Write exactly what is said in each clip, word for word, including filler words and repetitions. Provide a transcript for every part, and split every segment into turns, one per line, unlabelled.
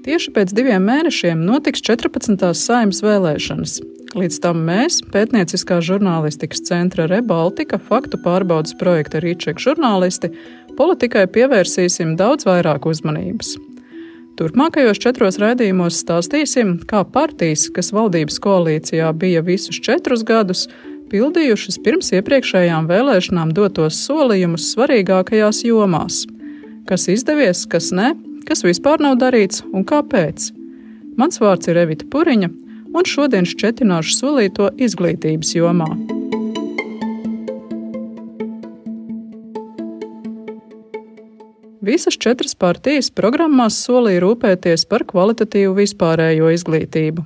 Tieši pēc diviem mēnešiem notiks četrpadsmitās Saeimas vēlēšanas. Līdz tam mēs, pētnieciskā žurnālistikas centra Rebaltika, faktu pārbaudes projekta Rīček žurnālisti, politikai pievērsīsim daudz vairāk uzmanības. Turpmākajos četros raidījumos stāstīsim, kā partijas, kas valdības koalīcijā bija visus četrus gadus, pildījušas pirms iepriekšējām vēlēšanām dotos solījumus svarīgākajās jomās. Kas izdevies, kas ne, kas vispār nav darīts un kāpēc. Mans vārds ir Evita Puriņa, un šodien šķetināšu solīto izglītības jomā. Visas četras partijas programmās solīja rūpēties par kvalitatīvu vispārējo izglītību.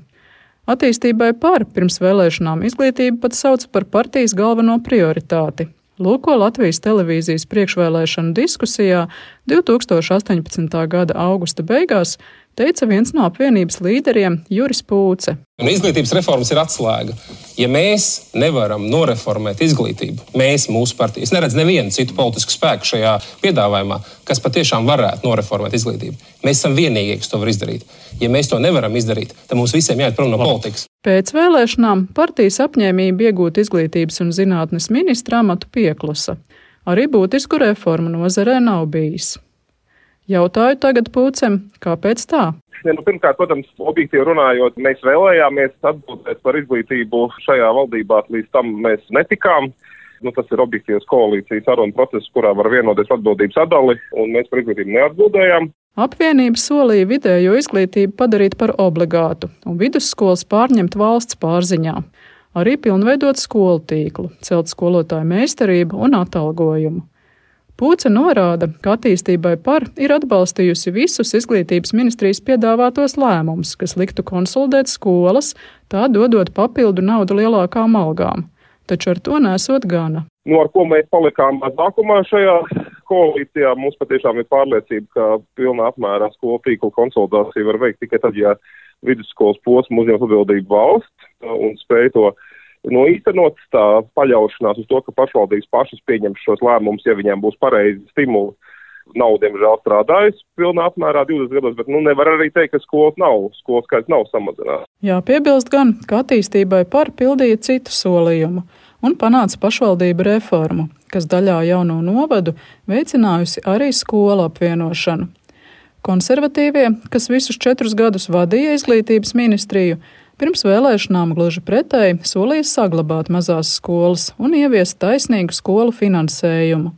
Attīstībai par pirms vēlēšanām izglītību pat sauca par partijas galveno prioritāti. Lūko Latvijas televīzijas priekšvēlēšanu diskusijā divi tūkstoši astoņpadsmitā gada augusta beigās teica viens no apvienības līderiem Juris Pūce.
Un izglītības reformas ir atslēga. Ja mēs nevaram noreformēt izglītību, mēs, mūsu partijas, neredz nevienu citu politisku spēku šajā piedāvājumā, kas patiešām varētu noreformēt izglītību. Mēs esam vienīgie, kas to var izdarīt. Ja mēs to nevaram izdarīt, tad mums visiem jāiet prom no politikas.
Pēc vēlēšanām partijas apņēmība iegūt izglītības un zinātnes ministra amatu pieklusa. Arī būtisku reformu nozarē nav bijis. Jautāju tagad Pūcem, kāpēc tā?
Ja, nu, pirmkārt, protams, objektīvi runājot, mēs vēlējāmies atbildēt par izglītību šajā valdībā, līdz tam mēs netikām. Nu, tas ir objektīvs koalīcijas saruna process, kurā var vienoties atbildības sadali, un mēs par izglītību neatbildējām.
Apvienība solīja vidējo izglītību padarīt par obligātu un vidusskolas pārņemt valsts pārziņā. Arī pilnveidot skolu tīklu, celt skolotāju meistarību un atalgojumu. Pūce norāda, ka attīstībai par ir atbalstījusi visus izglītības ministrijas piedāvātos lēmumus, kas liktu konsolidēt skolas, tā dodot papildu naudu lielākām algām. Taču ar to nesot gana.
Nu, ar ko mēs palikām mazākumā šajā koalīcijā, mums patiešām ir pārliecība, ka pilnā apmērā skolu tīklu konsolidāciju var veikt tikai tad, ja vidusskolas posmu uzņems atbildību valsts un spēj to no īstenot, tā paļaušanās uz to, ka pašvaldības pašas pieņems šos lēmumus, ja viņiem būs pareizi stimuli. Nav, diemžēl, strādājis pilnā apmērā divdesmit gados, bet nu, nevar arī teikt, ka skolas nav, skolas skaits nav samazināts.
Jā, piebilst gan, ka attīstībai par pildīja citu solījumu un panāca pašvaldību reformu, kas daļā jauno novadu veicinājusi arī skolu apvienošanu. Konservatīvie, kas visus četrus gadus vadīja izglītības ministriju, pirms vēlēšanām gluži pretēji solīja saglabāt mazās skolas un ieviest taisnīgu skolu finansējumu.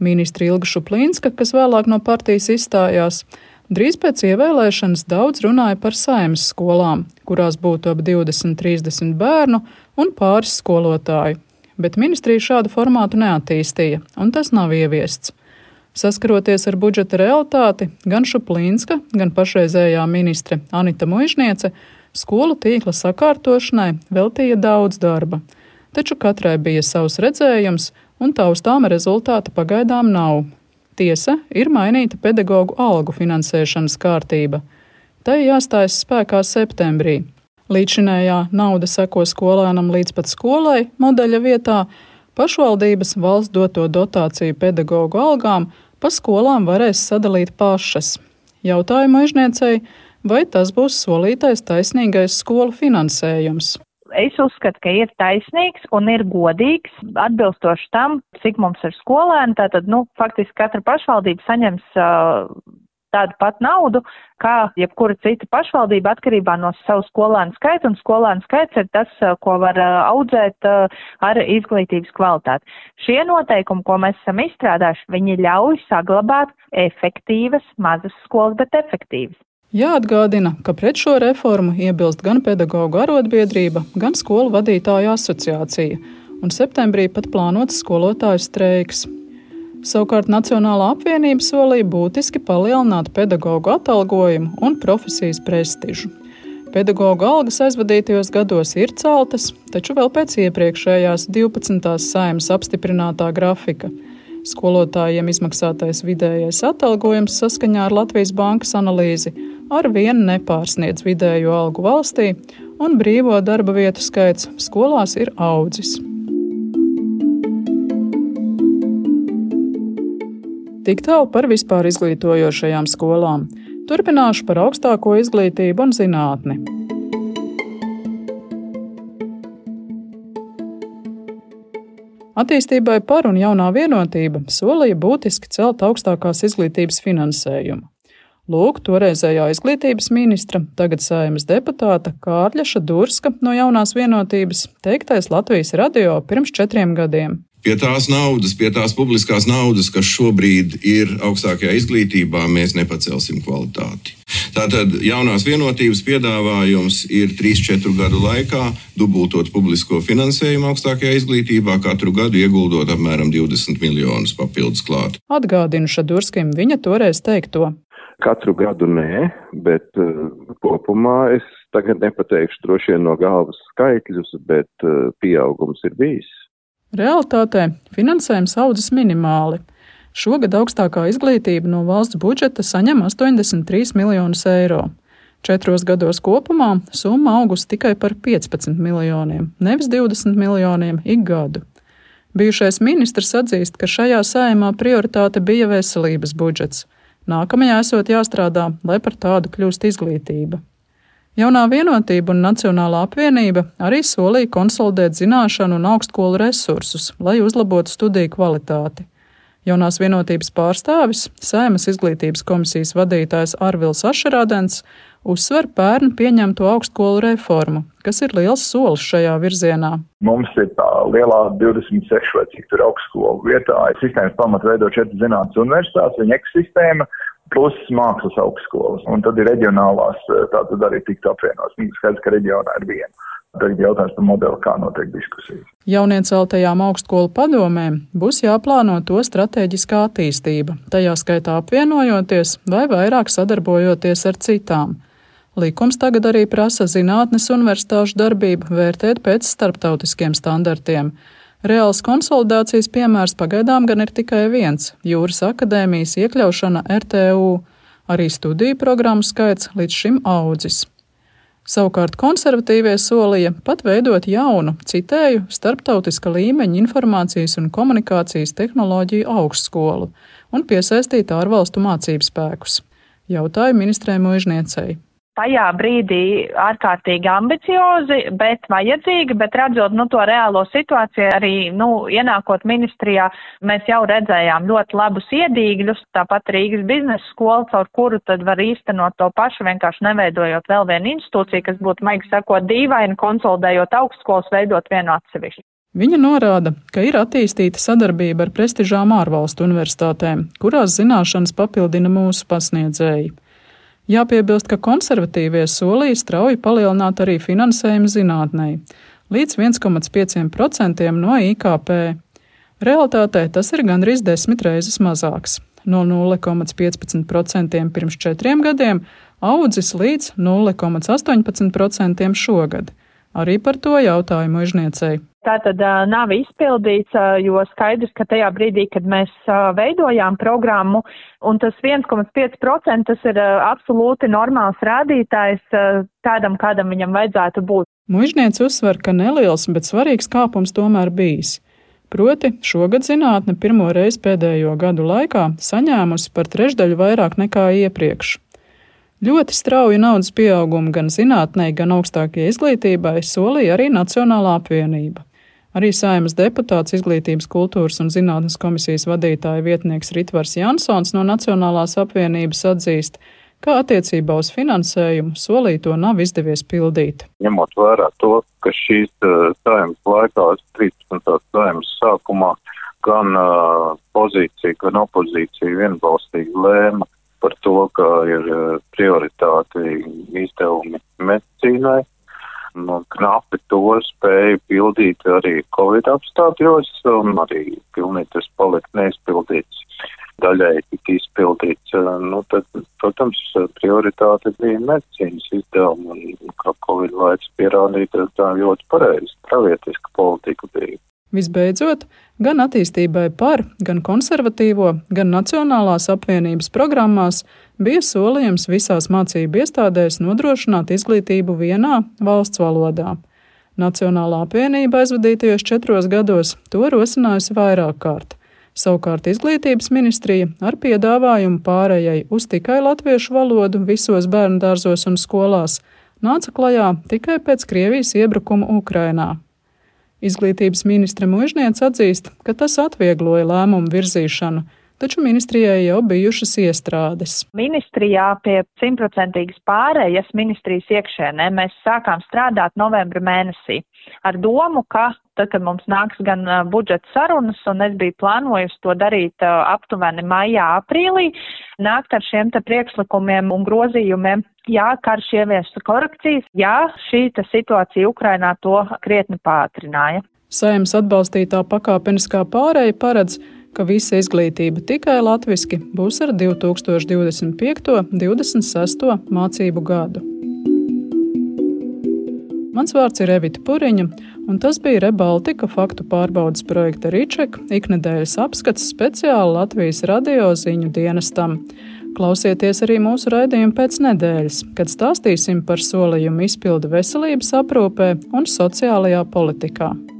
Ministri Ilga Šuplīnska, kas vēlāk no partijas izstājās, drīz pēc ievēlēšanas daudz runāja par Saeimas skolām, kurās būtu ap divdesmit trīsdesmit bērnu un pāris skolotāju. Bet ministrija šādu formātu neattīstīja, un tas nav ieviests. Saskaroties ar budžeta realitāti, gan Šuplīnska, gan pašreizējā ministre Anita Muižniece skolu tīkla sakārtošanai veltīja daudz darba, taču katrai bija savs redzējums un taustāma rezultāta pagaidām nav. Tiesa, ir mainīta pedagoģu algu finansēšanas kārtība. Tai jāstājas spēkā septembrī. Līdzinējā nauda seko skolēnam līdz pat skolai modeļa vietā, pašvaldības valsts doto dotāciju pedagoģu algām pa skolām varēs sadalīt pašas. Jautāju Muižniecei, vai tas būs solītais taisnīgais skolu finansējums?
Es uzskatu, ka ir taisnīgs un ir godīgs, atbilstoši tam, cik mums ir skolēni. Tātad, nu, faktiski katra pašvaldība saņems uh, tādu pat naudu, kā jebkura cita pašvaldība atkarībā no savu skolēnu skaita, un skolēnu skaits ir tas, uh, ko var uh, audzēt uh, ar izglītības kvalitāti. Šie noteikumi, ko mēs esam izstrādājuši, viņi ļauj saglabāt efektīvas, mazas skolas, bet efektīvas.
Jāatgādina, ka pret šo reformu iebilst gan pedagoģu arotbiedrība, gan skolu vadītāju asociācija, un septembrī pat plānots skolotāju streiks. Savukārt Nacionālā apvienība solīja būtiski palielināt pedagoģu atalgojumu un profesijas prestižu. Pedagoģu algas aizvadītajos gados ir celtas, taču vēl pēc iepriekšējās divpadsmitās Saeimas apstiprinātā grafika. Skolotājiem izmaksātais vidējais atalgojums saskaņā ar Latvijas bankas analīzi ar vienu nepārsniedz vidējo algu valstī, un brīvo darba vietu skaits skolās ir audzis. Tik tālu par vispār izglītojošajām skolām. Turpināšu par augstāko izglītību un zinātni. Attīstībai par un jaunā vienotība solīja būtiski celt augstākās izglītības finansējumu. Lūk, toreizējā izglītības ministra, tagad Saeimas deputāta Kārļa Šadurska no jaunās vienotības teiktais Latvijas radio pirms četriem gadiem.
Pie tās naudas, pie tās publiskās naudas, kas šobrīd ir augstākajā izglītībā, mēs nepacelsim kvalitāti. Tātad jaunās vienotības piedāvājums ir trīs četru gadu laikā dubultot publisko finansējumu augstākajā izglītībā, katru gadu ieguldot apmēram divdesmit miljonus papildus klāt.
Atgādinu Šadurskim viņa toreiz teikto.
Katru gadu nē, bet uh, kopumā es tagad nepateikšu droši vien no galvas skaitļus, bet uh, pieaugums ir bijis.
Realtātē finansējums audzis minimāli. Šogad augstākā izglītība no valsts budžeta saņem astoņdesmit trīs miljonus eiro. Četros gados kopumā summa augusi tikai par piecpadsmit miljoniem, nevis divdesmit miljoniem ik gadu. Bijušais ministrs atzīst, ka šajā Saeimā prioritāte bija veselības budžets. Nākamajā esot jāstrādā, lai par tādu kļūst izglītība. Jaunā vienotība un Nacionālā apvienība arī solīja konsolidēt zināšanu un augstskolu resursus, lai uzlabotu studiju kvalitāti. Jaunās vienotības pārstāvis, Saeimas izglītības komisijas vadītājs Arvils Ašerādens, uzsver pērn pieņemto augstskolu reformu, kas ir liels solis šajā virzienā.
Mums ir tā lielā divdesmit seši vai cik tur augstskolu vietā. Sistēmas pamatu veido četras zinātnes universitātes, viņa ekosistēma, plus mākslas augstskolas. Un tad ir reģionālās, tā tad arī tikt apvienos. Mums skaidrs, ka reģionā ir viena. Tagad jautājums par modeli, kā notiek diskusijas.
Jaunieceltajām augstskolu padomēm būs jāplāno to stratēģiskā attīstība, tajā skaitā apvienojoties vai vairāk sadarbojoties ar citām. Likums tagad arī prasa zinātnes universitāšu darbību vērtēt pēc starptautiskiem standartiem. Reāls konsolidācijas piemērs pagaidām gan ir tikai viens – Jūras akadēmijas iekļaušana R T U. Arī studiju programmu skaits līdz šim audzis. Savukārt konservatīvie solīja pat veidot jaunu, citēju, starptautiska līmeņa informācijas un komunikācijas tehnoloģiju augstskolu un piesaistīt ārvalstu mācību spēkus. Jautāju ministrei Muižniecei.
Tajā brīdī ārkārtīgi ambiciozi, bet vajadzīgi, bet redzot nu, to reālo situāciju, arī nu, ienākot ministrijā, mēs jau redzējām ļoti labus iedīgļus, tāpat Rīgas biznesa skola, caur kuru tad var īstenot to pašu, vienkārši neveidojot vēl vienu institūciju, kas būtu, maigi sakot, dīvaini, konsolidējot augstskolas, veidot vienu atsevišķu.
Viņa norāda, ka ir attīstīta sadarbība ar prestižām ārvalstu universitātēm, kurās zināšanas papildina mūsu pasniedzēji. Jāpiebilst, ka konservatīvie solīja strauji palielināt arī finansējumu zinātnei līdz viens komats pieci procenti no I K P. Realtātē tas ir gandrīz desmit reizes mazāks. No nulle komats piecpadsmit procenti pirms četriem gadiem audzis līdz nulle komats astoņpadsmit procenti šogad. Arī par to jautāju Muižniecei.
Tātad uh, nav izpildīts, uh, jo skaidrs, ka tajā brīdī, kad mēs uh, veidojām programmu, un tas viens komats pieci procenti, tas ir uh, absolūti normāls rādītājs uh, tādam, kādam viņam vajadzētu būt.
Muižniece uzsver, ka neliels, bet svarīgs kāpums tomēr bijis. Proti, šogad zinātne pirmo reizi pēdējo gadu laikā saņēmusi par trešdaļu vairāk nekā iepriekš. Ļoti strauju naudas pieaugumu gan zinātnei, gan augstākajai izglītībai solīja arī Nacionālā apvienība. Arī Saeimas deputāts Izglītības, kultūras un zinātnes komisijas vadītāja vietnieks Ritvars Jansons no Nacionālās apvienības atzīst, ka attiecībā uz finansējumu solīto nav izdevies pildīt.
Ņemot vērā to, ka šīs uh, Saeimas laikā, trīspadsmitās Saeimas sākumā, gan uh, pozīcija, gan opozīcija vienbalstīgi lēma par to, ka ir prioritāti izdevumi medicīnai. Nu, knapi to spēja pildīt arī Covid apstākļos, un arī pilnīgi tas palika neizpildīts, daļai tika izpildīts. Nu, tad, protams, prioritāte bija medicīnas izdevumi, un kā Covid laiks pierādīja, tā ļoti pareizi, pravietiska politika bija.
Visbeidzot, gan attīstībai par, gan konservatīvo, gan Nacionālās apvienības programmās bija solījums visās mācību iestādēs nodrošināt izglītību vienā valsts valodā. Nacionālā apvienība aizvadītajos četros gados to rosinājusi vairāk kārt. Savukārt Izglītības ministrija ar piedāvājumu pārējai uz tikai latviešu valodu visos bērndārzos un skolās nāca klajā tikai pēc Krievijas iebrukuma Ukrainā. Izglītības ministre Muižniec atzīst, ka tas atviegloja lēmumu virzīšanu, taču ministrijai jau bijušas iestrādes.
Ministrijā pie simtprocentīgas pārējas ministrijas iekšēnē mēs sākām strādāt novembra mēnesī ar domu, ka tad, kad mums nāks gan budžeta sarunas, un es biju plānojusi to darīt aptuveni maijā, aprīlī, nākt ar šiem te priekšlikumiem un grozījumiem, jā, karš ieviesa korekcijas, jā, šī situācija Ukrainā to krietni pātrināja.
Saeimas atbalstītā pakāpeniskā pārēja paredz, ka visa izglītība tikai latviski būs ar divi tūkstoši divdesmit piekto - divdesmit sesto mācību gadu. Mans vārds ir Evita Puriņa, un tas bija Rebaltika faktu pārbaudes projekta Riček iknedēļas apskats speciāli Latvijas radio ziņu dienestam. Klausieties arī mūsu raidījumu pēc nedēļas, kad stāstīsim par solījumu izpildi veselības aprūpē un sociālajā politikā.